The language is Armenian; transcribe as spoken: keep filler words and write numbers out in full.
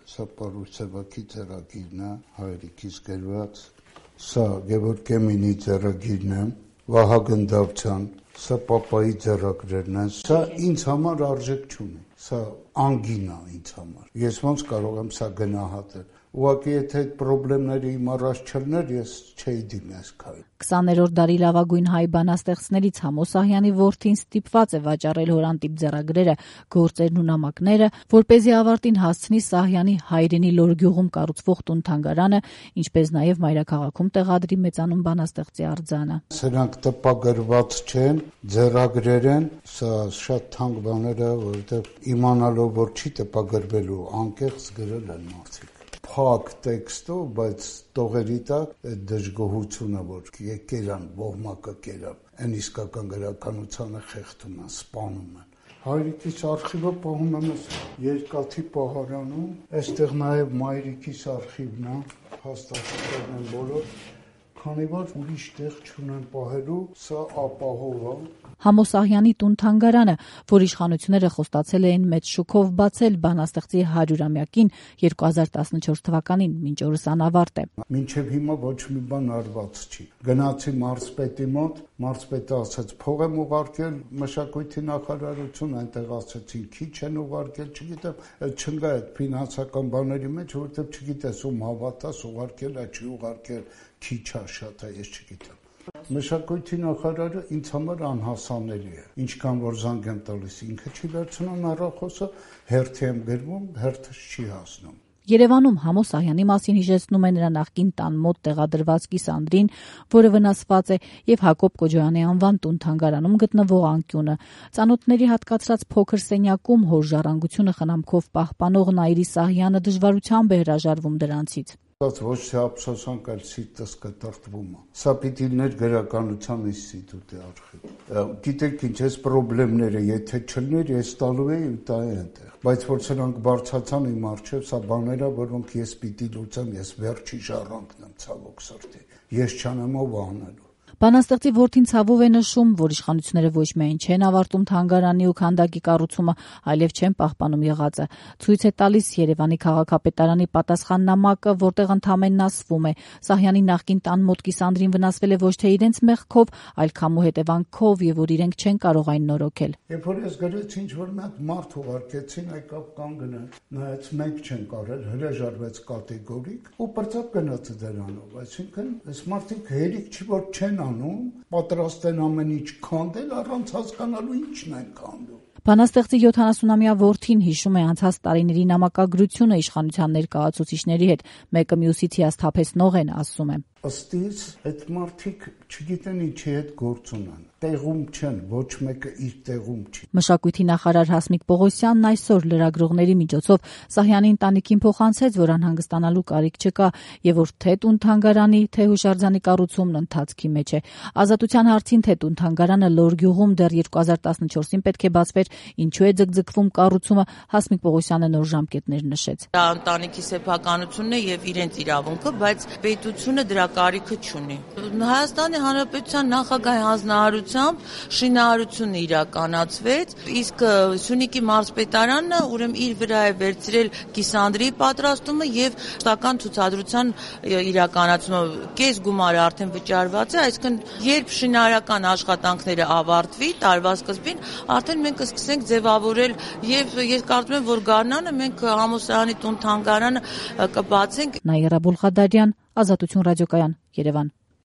Սա Պարուսևակի ծրագիրն է, հայրիկիս գրված, սա Գևորգ Կեմինի ծրագիրն է, Վահագն Դավթյան, սա Պապայի ձեռագրերն են, սա ինձ համար արժեք չունի, սա անգին է ինձ համար, ես ոնց կարող եմ սա գնահատել, ուղղակի եթե այդ պրոբլեմները իմ առաջ չլներ, ես չէի դիմի այս քայլին։ քսաներորդ դարի լավագույն հայ բանաստեղծներից Համո Սահյանի որդին ստիպված է վաճառել հորանտիպ ձեռագրերը, գործերն ու նամակները, որպեսզի ավարտին հասցնի Սահյանի հայրենի Լոր գյուղում կառուցվող տուն-թանգարանը, ինչպես նաև մայրաքաղաքում տեղադրի մեծանուն բանաստեղծի արձանը։ Սրանք տպագրված չեն, ձեռագրեր են, սա շատ թանկ բաներ է, որովհետև իմանալով որ չի տպագրվելու, անկեղծ գրել են մարդիկ։ Փակ տեքստով, բայց տողերի տակ այդ դժգոհությունը, որ եկերան, ոհմակը կերավ, այն իսկական գրականությանը խեղդում են, սպանում են։ Հայրիկիս արխիվը պահում եմ երկաթի պահարանում, այստեղ նաև մայրիկիս արխիվն է, հաստատություններն են բոլոր, քանի որ ուրիշ տեղ չունեն պահելու, սա ապահով է։ Համո Սահյանի տուն-թանգարանը, որ իշխանությունները խոստացել էին մեծ շուքով բացել բանաստեղծի հարյուրամյակին երկու հազար տասնչորս թվականին, մինչ օրս անավարտ է։ Մինչև հիմա ոչ մի բան արված չի։ Գնացի մարզպետի մոտ, մարզպետը ասաց փող եմ ուղարկել, մշակույթի նախարարություն, այնտեղ ասացին քիչ են ուղարկել, չգիտեմ, չնգա այդ ֆինանսական բաների մեջ, որովհետև չգիտես ում հավատաս, ուղարկել է, չի ուղարկել, քիչ է, շատ է, ես չգիտեմ։ Մշակույթի նախարարը ինձ համար անհասանելի է, ինչքան որ զանգ եմ տալիս, ինքը չի վերցնում հեռախոսը, հերթի եմ գրվում, հերթը չի հասնում։ Երևանում Համո Սահյանի մասին հիշեցնում է նրա նախկին տան մոտ տեղադրված կիսանդրին, որը վնասված է, եւ Հակոբ Կոջոյանի անվան տուն-թանգարանում գտնվող անկյունը։ Ծանոթների հատկացրած փոքր սենյակում հոր ժառանգությունը խնամքով պահպանող Նայիրի Սահյանը դժվարությամբ է հրաժարվում դրանցից։ Ոչ թե ափսոսանք, այլ սիրտս կտրտվում է։ Սա պիտի ներ գրականության ինստիտուտի արխիվ։ Գիտեք ինչ, այս պրոբլեմները, եթե չլներ, ես տալու էի ու տայի այնտեղ։ Բայց որ սրանք բարձացան իմ առջև, սա բաներ է, որոնք ես պիտի լուծեմ, ես վերջի ժառանգն եմ, ցավոք սրտի։ Ես չանեմ ով անելու։ Բանաստեղծի որդին ցավով է նշում, որ իշխանությունները ոչ միայն չեն ավարտում թանգարանի ու քանդակի կառուցումը, այլև չեն պահպանում եղածը։ Ցույց է տալիս Երևանի քաղաքապետարանի պատասխան նամակը, որտեղ ընդհանրապես ասվում է. Սահյանի նախկին տան մոտ կիսանդրին վնասվել է ոչ թե իրենց մեղքով, այլ քամու հետևանքով, եւ որ իրենք չեն կարող այն նորոգել։ Երբ որ ես գրեցի, ինչ որ մի հատ մարդ ուղարկեցին, եկավ կանգնել, նայեց մենք չեն կարել, հրաժարվեց կատեգորիկ ու բրծապ գնաց դրանով, այսինքն այս մարդիկ հերիք չի որ չեն պատրաստ են ամեն ինչ քանդել, առանց հասկանալու ինչն են քանդում։ Բանաստեղծի յոթանասունամյա որդին հիշում է անցած տարիների նամակագրությունը իշխանության ներկայացուցիչների հետ, մեկը մյուսից հիասթափեցնող են, ասում է։ Ըստ իս, այդ մարդիկ չգիտեն ինչի հետ գործ ունեն, տեղում չեն, ոչ մեկը իր տեղում չի։ Մշակույթի նախարար Հասմիկ Պողոսյանն այսօր լրագրողների միջոցով Սահյանի ընտանիքին փոխանցեց, որ անհանգստանալու կարիք չկա եւ որ թե տուն-թանգարանի, թե հուշարձանի կառուցումն ընթացքի մեջ է։ Ազատության հարցին, թե տուն-թանգարանը Լոր գյուղում դեռ երկու հազար տասնչորսին պետք է բացվեր, ինչու է ձգձգվում կառուցումը, Հասմիկ Պողոսյանը նոր ժամկետներ նշեց։ Դա ընտանիքի սեփականությունն է եւ իրենց իրավունքը, բայց պետությունը դրա կարիքը չունի։ Հայաստանի Հանրապետության նախագահի հանձնարարությամբ շինարարությունը իրականացվեց, իսկ Սյունիքի մարզպետարանը ուրեմն իր վրա է վերցրել կիսանդրի պատրաստումը եւ շտական ցուցադրության իրականացումը։ Կես գումարը արդեն վճարված է, այսինքն երբ շինարարական աշխատանքները ավարտվի տարվա սկզբին, արդեն մենք կսկսենք ձևավորել եւ ես կարծում եմ, որ գարնանը մենք Համո Սահյանի տուն-թանգարանը կբացենք։ Նաիրա Բուլղադարյան, Ազատություն ռադիոկայան, Երևան։